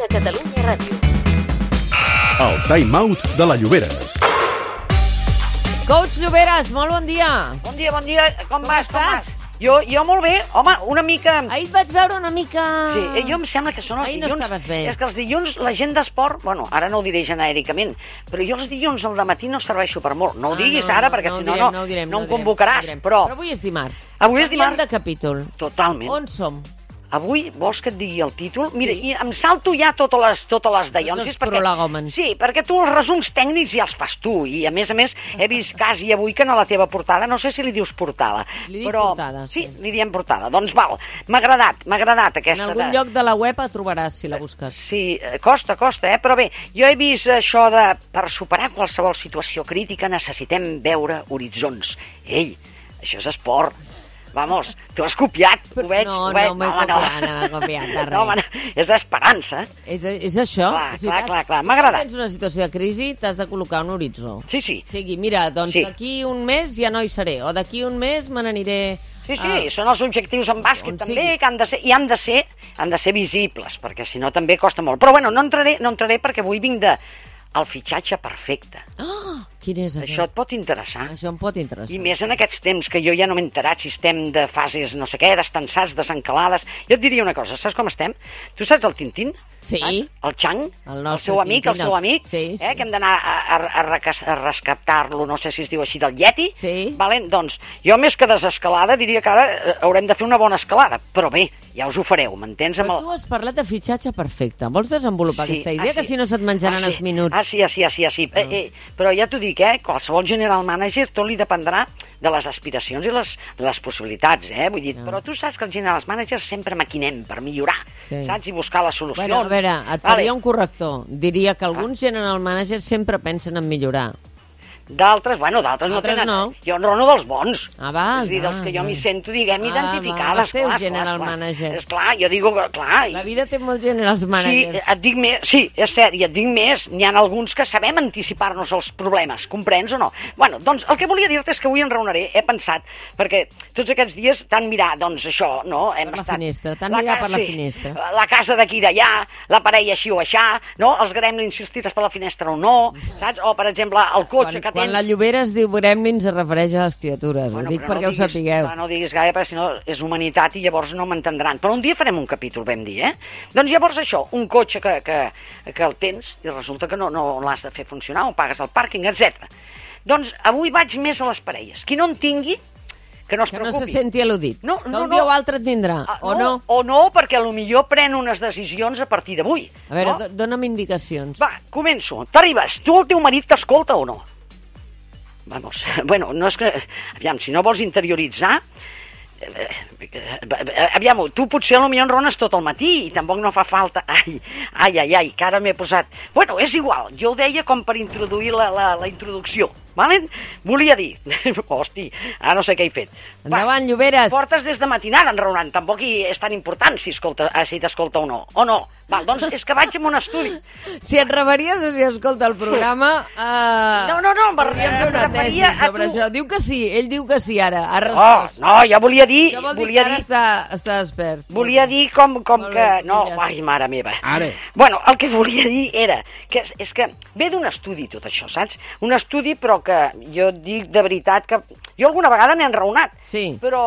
de Catalunya Ràdio. El Time Out de la Llobera. Coach Lloberes, molt bon dia. Bon dia. Com vas? estàs? Jo molt bé. Home, una mica... Ahir et vaig veure una mica... Sí, jo em sembla que són els Ahir no dilluns... estaves bé. És que els dilluns la gent d'esport... Bueno, ara no ho diré genèricament, però jo els dilluns al dematí no serveixo per molt. No ho diguis ara, perquè si no em convocaràs. Però avui és dimarts. Avui és dimarts. Canviem de capítol. Totalment. On som? Avui vols que et digui el títol? Mira, Sí. i em salto ja totes les dallonsis. els prolegòmens. Sí, perquè tu els resums tècnics ja els fas tu. I a més, he vist quasi avui que en la teva portada, no sé si li dius portada. Li dic portada, sí. Sí, li diem portada. Doncs val, m'ha agradat aquesta... En algun lloc de la web la trobaràs, si la busques. Sí, costa, però bé, jo he vist això de per superar qualsevol situació crítica necessitem veure horitzons. Ei, això és esport. Vamos, tu has copiat, ho veig. No m'he copiat de res. No, home, és d'esperança. És això. Clar, m'ha agradat. Tens una situació de crisi, t'has de col·locar un horitzó. Sí. O sigui, mira, doncs Sí. d'aquí un mes ja no hi seré, o d'aquí un mes me n'aniré... Sí, són els objectius en bàsquet on també, sigui. que han de ser visibles, perquè si no també costa molt. Però bueno, no entraré perquè avui vinc el fitxatge perfecte. Ah, quin és aquest? Això et pot interessar. Això em pot interessar. I més en aquests temps que jo ja no m'he enterat si estem de fases no sé què, destensats, desencalades. Jo et diria una cosa, saps com estem? Tu saps el Tintín? Sí. Saps? El Chang? El El nostre seu amic, Tintín, sí. que hem d'anar a rescatar-lo, no sé si es diu així, del Yeti. Sí. Valen? Doncs jo més que desescalada diria que ara haurem de fer una bona escalada, però bé, ja us ho fareu, m'entens? Però tu has parlat de fitxatge perfecte. Vols desenvolupar aquesta idea? Que si no se't menjaran els minuts. Sí. Però ja t'ho dic, qualsevol general manager tot li dependrà de les aspiracions i les possibilitats, vull dir, però tu saps que els general managers sempre maquinem per millorar, saps? I buscar les solucions. Bueno, a veure, et faria un corrector. Diria que alguns general managers sempre pensen en millorar. D'altres no tenen... no. Jo enrono dels bons. Val. És a dir, dels que jo m'hi sento, identificades. Els teus general managers. Esclar, jo dic, clar... La vida té molts generals managers. Sí, et dic més, sí, és cert, i et dic més, n'hi ha alguns que sabem anticipar-nos als problemes, comprens o no? Bueno, doncs el que volia dir-te és que avui enraonaré, he pensat, perquè tots aquests dies t'han mirat, doncs això, no? Per la finestra, t'han mirat per la finestra. La casa d'aquí i d'allà, la parella així o aixà, no? Els gremlins insistits per la finestra o no, saps? O, per exemple, el cotxe que tens... Quan la Llobera es diu gremlins es refereix a les criatures, ho dic perquè ho sapigueu. No diguis gaire, perquè si no és humanitat i llavors no m'entendran. Però un dia farem un capítol, vam dir, Doncs llavors això, un cotxe que el tens i resulta que no l'has de fer funcionar o pagues el pàrquing, etc. Doncs avui vaig més a les parelles. Qui no en tingui, que no es preocupi. Que no se senti al·ludit. No, que un dia o altre et tindrà, o no? O no, perquè potser pren unes decisions a partir d'avui. A veure, dona'm indicacions. Va, començo. T'arribes. Tu el teu marit t'escolta o no? Vamos, bueno, no és que... Aviam, si no vols interioritzar... Aviam, tu potser potser enrones tot el matí i tampoc no fa falta... Ai, que ara m'he posat... Bueno, és igual, jo ho deia com per introduir la introducció. Valen? Volia dir... Hosti, ara no sé què he fet. Endavant, Lloberes. Portes des de matinada enraonant, tampoc és tan important si t'escolta o no. O no? Val, doncs és que vaig amb un estudi. Si et referties a si escolta el programa... No, podríem fer una tesi sobre això. Diu que sí, ell diu que sí ara, ha respost. No, ja volia dir... Això vol dir que ara està despert. Volia dir com que... No, filles. ai, mare meva. Ara. Bueno, el que volia dir era que és que ve d'un estudi tot això, saps? Un estudi però que jo dic de veritat que... Jo alguna vegada n'he enraonat. Sí. Però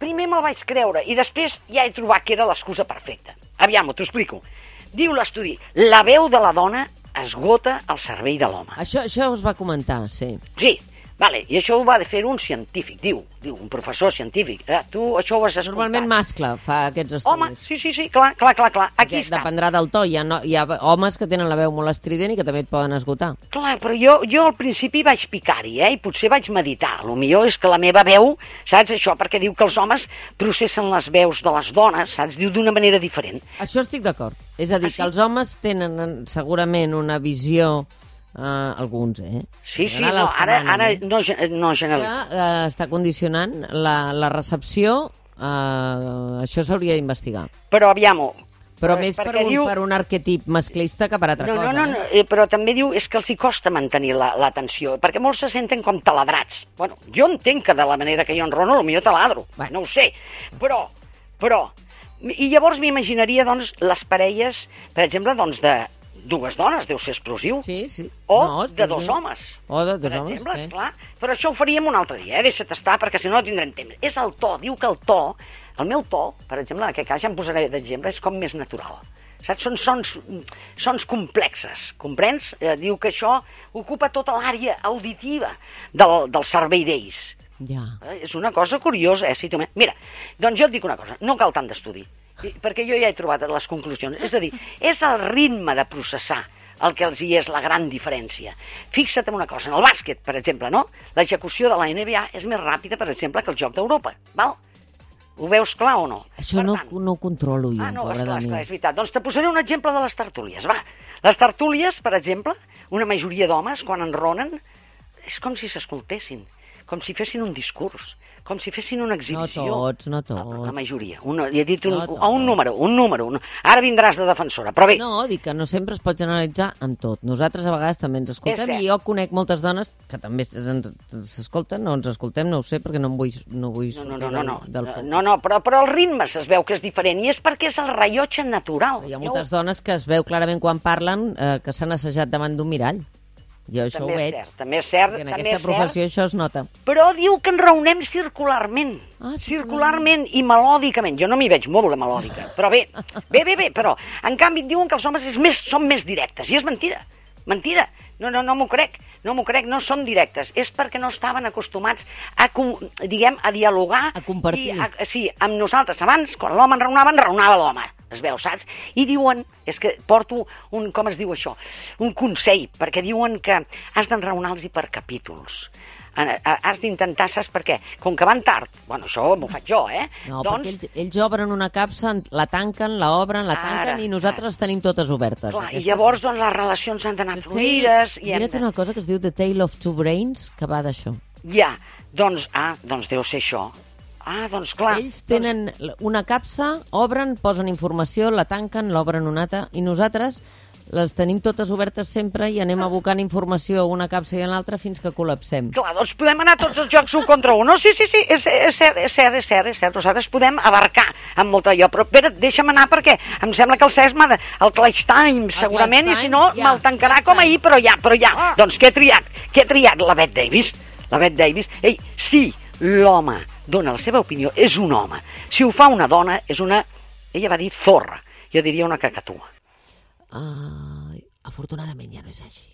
primer me'l vaig creure i després ja he trobat que era l'excusa perfecta. Aviam, t'ho explico. Diu l'estudi, la veu de la dona esgota el cervell de l'home. Això us va comentar, sí. Sí, vale, i això ho va fer un científic, diu un professor científic. Tu això ho has escoltat. Normalment mascle fa aquests estudis. Home, sí, clar. Aquí està. Dependrà del to. Hi ha homes que tenen la veu molt estrident i que també et poden esgotar. Clar, però jo al principi vaig picar-hi, i potser vaig meditar. El millor és que la meva veu, saps això? Perquè diu que els homes processen les veus de les dones, saps? Diu d'una manera diferent. Això estic d'acord. És a dir, que els homes tenen segurament una visió... alguns, Sí, no, ara no generalitzem. Que està condicionant la recepció, això s'hauria d'investigar. Però aviam-ho. Però més per un arquetip masclista que per altra cosa. No, però també diu és que els hi costa mantenir l'atenció, perquè molts se senten com taladrats. Bueno, jo entenc que de la manera que jo enrono, potser taladro, no ho sé, però I llavors m'imaginaria, doncs, les parelles, per exemple, doncs, de dues dones, deu ser explosiu. Sí, sí. O No, de dos homes. O de dos Per homes, exemple, sí. esclar. Però això ho faríem un altre dia, deixa't estar, perquè si no no tindrem temps. És el to, diu que el to, el meu to, per exemple, en aquest cas ja em posaré d'exemple, és com més natural. Saps? Són sons complexes, comprens? Diu que això ocupa tota l'àrea auditiva del cervell d'ells. Ja. És una cosa curiosa, si tu... Mira, doncs jo et dic una cosa, no cal tant d'estudi, perquè jo ja he trobat les conclusions. És a dir, és el ritme de processar el que els hi és la gran diferència. Fixa't en una cosa, en el bàsquet, per exemple, no? L'execució de la NBA és més ràpida, per exemple, que el joc d'Europa, val? Ho veus clar o no? Això no ho controlo jo, no, pobra de mi. esclar, és veritat. Doncs te posaré un exemple de les tertúlies, va. Les tertúlies, per exemple, una majoria d'homes, quan enronen, és com si s'escoltessin, com si fessin un discurs, com si fessin una exhibició. No tots. La majoria. Li he dit un tots. número. Ara vindràs de defensora, però bé. No, dic que no sempre es pot generalitzar amb tot. Nosaltres a vegades també ens escoltem És i jo conec moltes dones que també s'escolten, no ens escoltem, no ho sé, perquè no vull sortir del foc. No, però el ritme es veu que és diferent i és perquè és el rellotge natural. Hi ha moltes dones que es veu clarament quan parlen que s'han assajat davant d'un mirall. Jo això ho veig. També és cert. Perquè en aquesta professió això es nota. Però diu que ens reunnem circularment. Circularment i melòdicament. Jo no m'hi veig molt de melòdica, però bé, però en canvi diuen que els homes són més directes, i és mentida. Mentida. No m'ho crec, no són directes. És perquè no estaven acostumats a dialogar. A compartir. Sí, amb nosaltres. Abans, quan l'home enraonava l'home. Es veu, saps? I diuen, és que porto com es diu això? Un consell, perquè diuen que has d'enraonar-los per capítols. Has d'intentar, saps per què? Com que van tard, bueno, això m'ho faig jo, No, perquè ells obren una capsa, la tanquen, l'obren, la tanquen i nosaltres les tenim totes obertes. Clar, i llavors doncs, les relacions han d'anar fluides. Mira't una cosa que es diu The Tale of Two Brains, que va d'això. Ja, doncs deu ser això. Doncs clar. Ells tenen una capsa, obren, posen informació, la tanquen, l'obren una altra, i nosaltres les tenim totes obertes sempre i anem abocant informació a una capsa i a l'altra fins que col·lapsem. Clar, doncs podem anar tots els jocs 1 contra 1. No, sí, és cert. Nosaltres podem abarcar amb molta allò, però espera, deixa'm anar perquè em sembla que el Cesc m'ha de... El Clutch Time, segurament, i si no, me'l tancarà com ahir, però ja. Doncs què he triat? La Bette Davis. Ei, sí, l'home dona la seva opinió, és un home. Si ho fa una dona, és una... Ella va dir zorra. Jo diria una cacatúa. Afortunadament ja no és així.